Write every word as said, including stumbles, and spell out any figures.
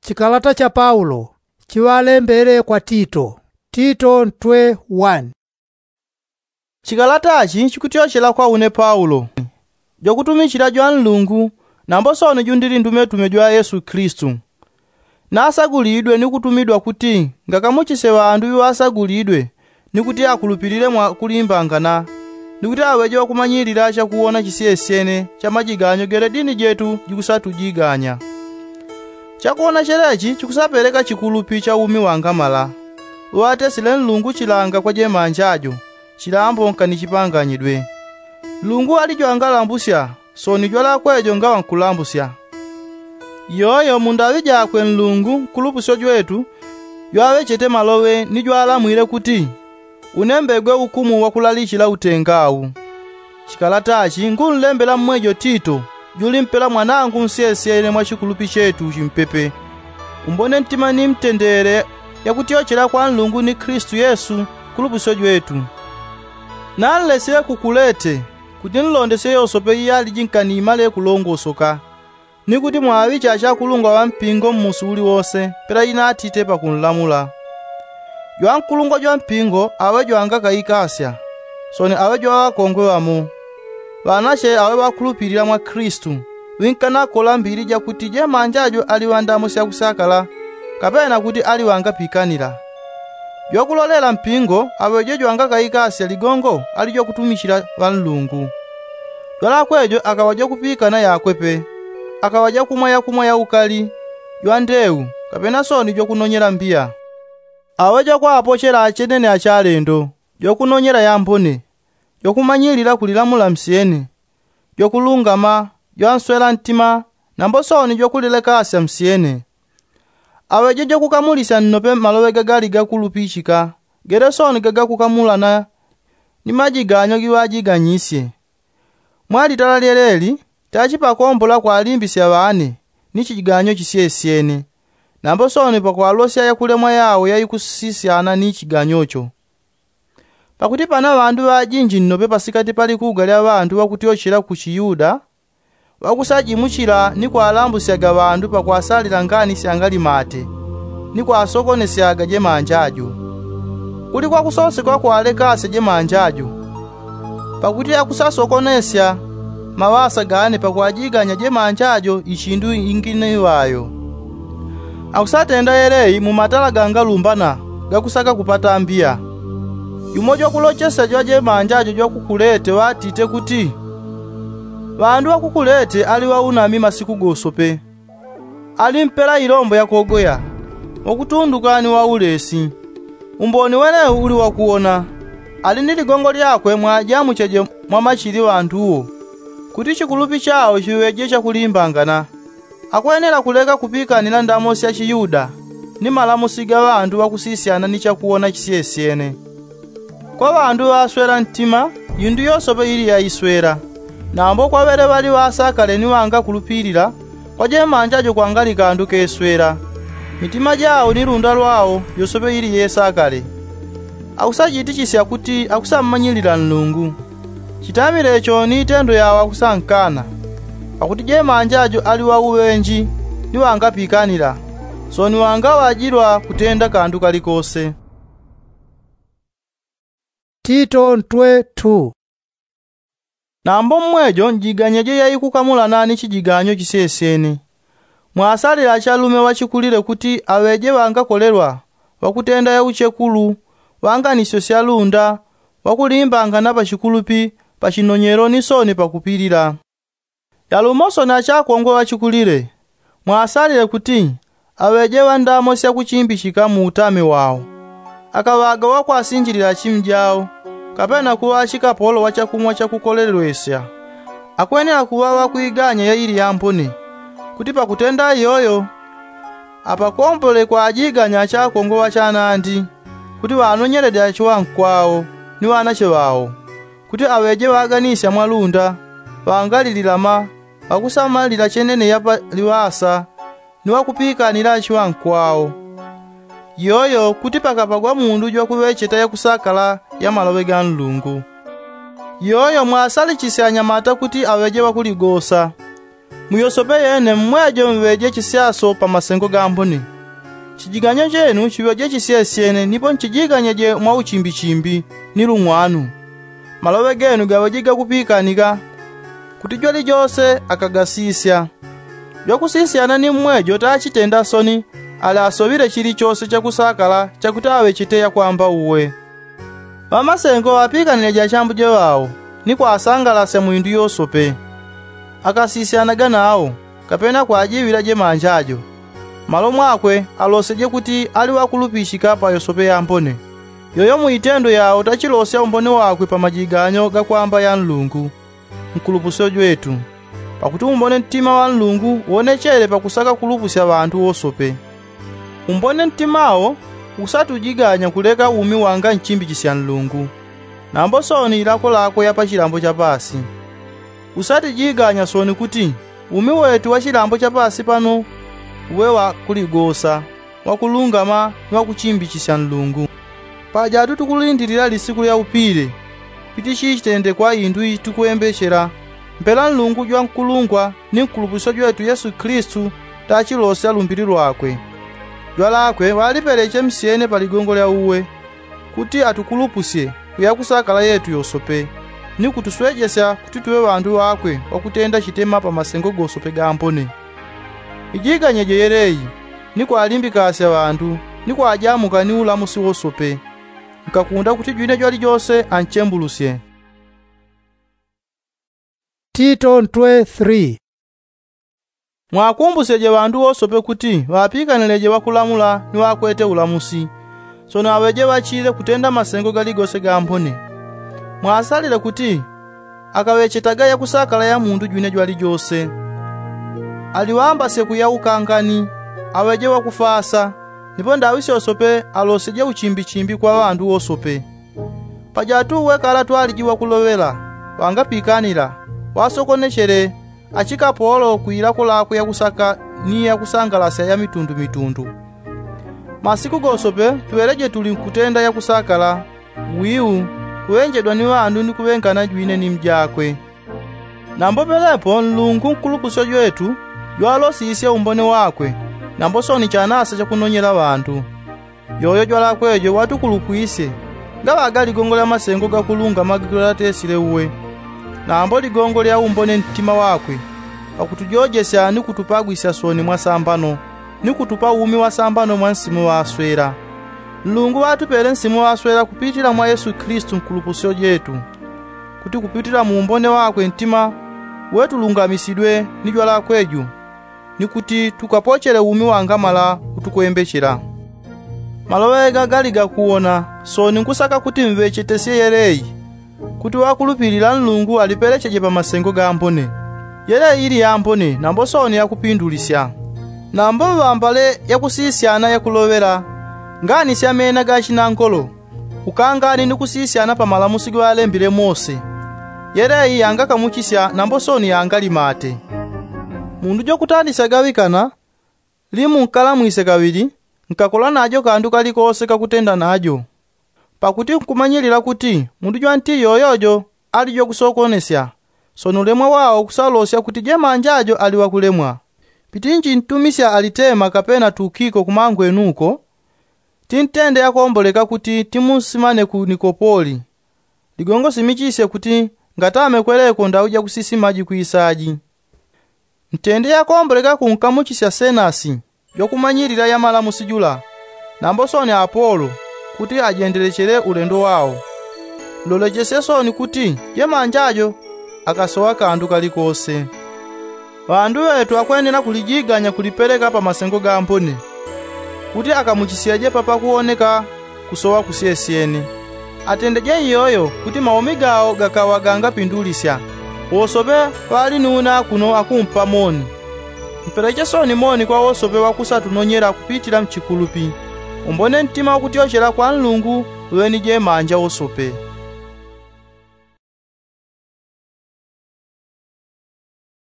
Chikalata cha paulo chiŵalembele kwa tito. Tito ntwe wani. Chikalata chi chikutyochela kwa une paulo, jwakutumichila jwa nlungu, nambo sooni jundili ndumetume jwa yesu kilisitu. Nasagulidwe ni kutumidwa kuti ngakamuchisye ŵandu ŵiŵasagulidwe, ni kuti akulupilile mwakulimbangana, ni kuti aŵeje ŵakumanyilila chakuwona chisyesyene cha majiganyo gele dini jetu jikusatujiganya. Chakuwona chelechi chikusapeleka chikulupi cha umi wangamala, uŵatesile nlungu chilanga kwa jemanja jo, chilambo nkanichipanganyidwe. Nlungu ali jwangalambusya, sooni jwalakwe jo ngaŵa nkulambusya. Iyoyo mu ndaŵi jakwe nlungu nkulupusyo jwetu, jwaŵechete maloŵe ni jwalamwile kuti, unembegwe ukumu wakulalichila utenga au. Chikalata chi ngunlembela mmwejo tito, julimpela mwanangu nsyesyene mwa chikulupi chetu chimpepe, umbone ntima ni mtendele yakutyochela kwa nlungu ni kilisitu yesu nkulupusyo jwetu. Nanlesile ku kulete, kuti nlondesye yosope iyaliji nkani imale kulongosoka, ni kuti mwaŵiche achakulungwa ŵa mpingo mmusi uliwose pela inatite pakunlamula. Jwankulungwa jwa mpingo aŵe jwangakaikasya, sooni aŵe jwaŵakongwe ŵamo, ŵanache aŵe ŵakulupilila mwa kilisitu, ŵinkanakola mbili jakuti jemanja jo ali ŵandamo syakusakala, kapena kuti ali ŵangapikanila. Jwakulolela mpingo aŵeje jwangakaikasya ligongo ali jwakutumichila ŵa nlungu. Jwalakwe jo akaŵa jwakupikana yakwe pe, akaŵa jakumwa yakumwa yaukali, jwandeu, kapena sooni jwakunonyela mbiya. Aŵe jwakwaapochela achenene achalendo, jwakunonyela yambone, jwakumanyilila kulilamula msyene, jwakulungama, jwanswela ntima, nambo sooni jwakulilekasya msyene. Aŵeje jwakukamulisya nnope maloŵe gagali gakulupichika, gele sooni gagakukamulana ni majiganyo giŵajiganyisye. Mwa litala lyeleli, tachipakombola kwalimbisya ŵane ni chijiganyo chisyesyene, nambo sooni pakwalosya yakulemwa yao yaikusisyana ni chiganyo cho. Pakuti pana ŵandu ŵajinji nnope pasikati pa likuga lya ŵandu ŵakutyochela ku chiyuda, ŵakusajimuchila ni kwalambusyaga ŵandu pakwasalila ngani syangalimate, ni kwasokonesyaga jemanja jo. Kuli kwakusosekwa kwalekasya jemanja jo, pakuti akusasokonesya maŵasa gane pakwajiganya jemanja jo ichindu ingine iŵayo. Akusatenda yelei mu matala gangalumbana gakusaka kupata mbiya. Yumo jwakulochesya jwa jemanja jo jwakukulete ŵatite kuti, ŵandu ŵakukulete ali ŵaunami masiku gosope, ali mpela ilombo yakogoya, ŵakutunduka ni ŵaulesi. Umboni wenewu uli wakuwona, ali ni ligongo lyakwe mwajamucheje mwa machili ŵanduwo, kuti chikulupi chao chiŵeje chakulimbangana. Akwenela kuleka kupikanila ndamo sya chiyuda ni malamusi ga ŵandu ŵakusisyana ni chakuwona chisyesyene. Kwa ŵandu ŵaswela ntima, yindu yosope ili yaiswela, nambo kwa ŵele ŵali ŵasakale ni ŵangakulupilila, kwa jemanja jo kwangali kandu keswela. Mitima jao ni lunda lwao yosope ili yesakale. Akusajitichisya kuti akusammanyilila nlungu. Chitamile cho ni itendo yao akusankana, pakuti jemanja jo ali ŵauŵenji ni ŵangapikanila, sooni ŵangaŵajilwa kutenda kandu kalikose. Tito ntwe tu. Nambo mmwejo njiganyeje yaikukamulana ni chijiganyo chisyesyene. Mwasalile achalume ŵachikulile kuti aŵeje ŵangakolelwa, ŵakutenda yauchekulu, ŵanganisyo syalunda, ŵakulimbangana pachikulupi, pachinonyelo ni sooni pakupilila. Yalumo sooni achakongwe ŵachikulile, mwasalile kuti aŵeje ŵandamo syakuchimbichika mu utame wao. Akaŵaga ŵakwasinjilila chimi jao, kapena kuŵa achikapolo ŵa chakumwa chakukolelwesya. Akwenela kuŵa ŵakwiganya yaili yambone, kuti pakutenda iyoyo apakombole kwajiganya achakongwe ŵachanandi, kuti ŵanonyelede achiŵankwao ni ŵanache ŵao, kuti aŵeje ŵaganisya mwalunda, ŵangalililama, ŵakusamalila chenene ya paliŵasa, ni ŵakupikanila achiŵankwao. Iyoyo kuti pakapagwa mundu jwakuŵecheta yakusakala ya maloŵe ga nlungu. Iyoyo mwasalichisye anyamata kuti aŵeje ŵakuligosa, Muyosope yene mmwejo mŵeje chisyaso pa masengo gambone. Chijiganyo chenu chiŵeje chisyesyene nipo nchijiganyeje mwa uchimbichimbi ni lung'wanu. Maloŵe genu gaŵeje gakupikanika kuti jwalijose akagasisya. Jwakusisyana ni mmwejo tachitenda soni, ali asoŵile chilichose chakusakala chakuti aŵechete yakwamba uwe. Ŵamasengo ŵapikanileje achambuje ŵao ni kwasangalasya mu indu yosope. Akasisyanaga nao, kapena kwajiŵila jemanja jo. Malo mwakwe aloseje kuti ali ŵakulupichika pa yosope yambone. Yoyo mu itendo yao tachilosya umbone wakwe pa majiganyo gakwamba ya nlungu, nkulupusyo jwetu. Pakuti umbone ntima wa nlungu wonechele pakusaka kulupusya ŵantu wosope. Umbone ntima wo usatujiganya kuleka umi wanga nchimbi chisya nlungu, nambo soni ilako lakwe ya pachilambo chapasi. Usatijiganya soni kuti umi wetu wa chilambo chapasi pano uŵe wa kuligosa, wakulungama ni wakuchimbichisya nlungu. Pajatu tukulindilila lisiku lya upile, pitichi chitendekwa indu itukwembechela, mpela nlungu jwa nkulungwa ni nkulupusyo jwetu yesu kilisitu tachilosya lumbili lwakwe. Jwalakwe ŵalipeleche msyene pa ligongo lya uwe, kuti atukulupusye kuya kusakala yetu yosope, ni kutuswejesya kuti tuŵe ŵandu ŵakwe ŵakutenda chitema pa masengo gosope gambone. Ijiganyeje yeleyi, ni kwalimbikasya ŵandu, ni kwajamuka ni ulamusi wosope. Nkakunda kuti jwine jwalijose anchembulusye. Tito ntwe three. Mwakumbusyeje ŵandu wosope kuti ŵapikanileje ŵakulamula ni ŵakwete ulamusi, sono aŵeje ŵachile kutenda masengo galigose gambone. Mwasalile kuti akaŵechetaga yakusakala ya mundu jwine jwalijose. Aliŵambasye kuya ukangani, aŵeje ŵakufasa, nipo ndaŵi syosope alosyeje uchimbichimbi kwa ŵandu wosope. Pajatu uwe kalatwaliji ŵakuloŵela, ŵangapikanila, ŵasokonechele, achikapolo kwilako lakwe yakusaka ni yakusangalasya ya mitundumitundu. Masiku gosope tuŵeleje tuli nkutenda yakusakala, wiu, kuŵenjedwa ni ŵandu ni kuŵengana jwine ni mjakwe. Nambo pelepo nlungu nkulupusyo jwetu jwalosisye umbone wakwe, nambo soni chanasa chakunonyela ŵandu. Yoyo jwalakwe jo watukulupwisye, ngaŵaga ligongo lya masengo gakulungama gikulatesile uwe, nambo ligongo lya umbone ntima wakwe, pakutujojesya ni kutupagwisya soni mwa sambano, ni kutupa umi wa sambano mwa nsimu ŵaswela. Nlungu ŵatupele nsimu ŵaswela kupitila mwa yesu kilisitu nkulupusyo jetu, kuti kupitila mu umbone wakwe ntima, uwe tulungamisidwe ni jwalakwe ju, ni kuti tukapochele umi wangamala utukwembechela. Maloŵe ega gali gakuwona, soni nkusaka kuti mŵechetesye yeleyi, kuti ŵakulupilila nlungu alipelecheje pa masengo gambone. Yeleyi ili yambone nambo soni yakupindulisya. Nambo ŵambale yakusisyana yakuloŵela, ngani syamena gachinangolo, ukangani ni kusisyana pa malamusi gaŵalembile mose. Yeleyi yangakamuchisya nambo soni yangalimate. Mundu jwakutandisya gaŵikana, limu nkalamwise kaŵili, nkakola najo kandu kalikose kakutenda najo. Pakuti nkumanyilila kuti mundu jwanti yoyojo ali jwakusokonesya, sono ulemwa wao kusalosya kuti jemanja jo ali ŵakulemwa. Pitinji ntumisya alitema kapena tukiko kumangwenu uko, tintende yakomboleka kuti timunsimane ku nikopoli. Ligongo simichisye kuti ngatame kweleko ndaŵi jakusisimaji kwisaji. Ntende yakomboleka kunkamuchisya senasi jwakumanyilila ya malamusi jula, nambo soni apolo, kuti ajendelechele ulendo wao. Nlolechesye soni kuti jemanja jo akasoŵa kandu kalikose. Ŵandu ŵetu akwenela kulijiganya kulipeleka pa masengo gambone, kuti akamuchisyeje papakuwoneka kusoŵa kusyesyene. Atendeje iyoyo kuti maumi gao gakaŵa gangapindulisya. Wosope ŵali nuna kuno akumpa moni. Mpeleche soni moni kwa wosope ŵakusatunonyela kupitila mchikulupi. Umbone ntima wakutyochela kwa nlungu uŵe ni jemanja wosope.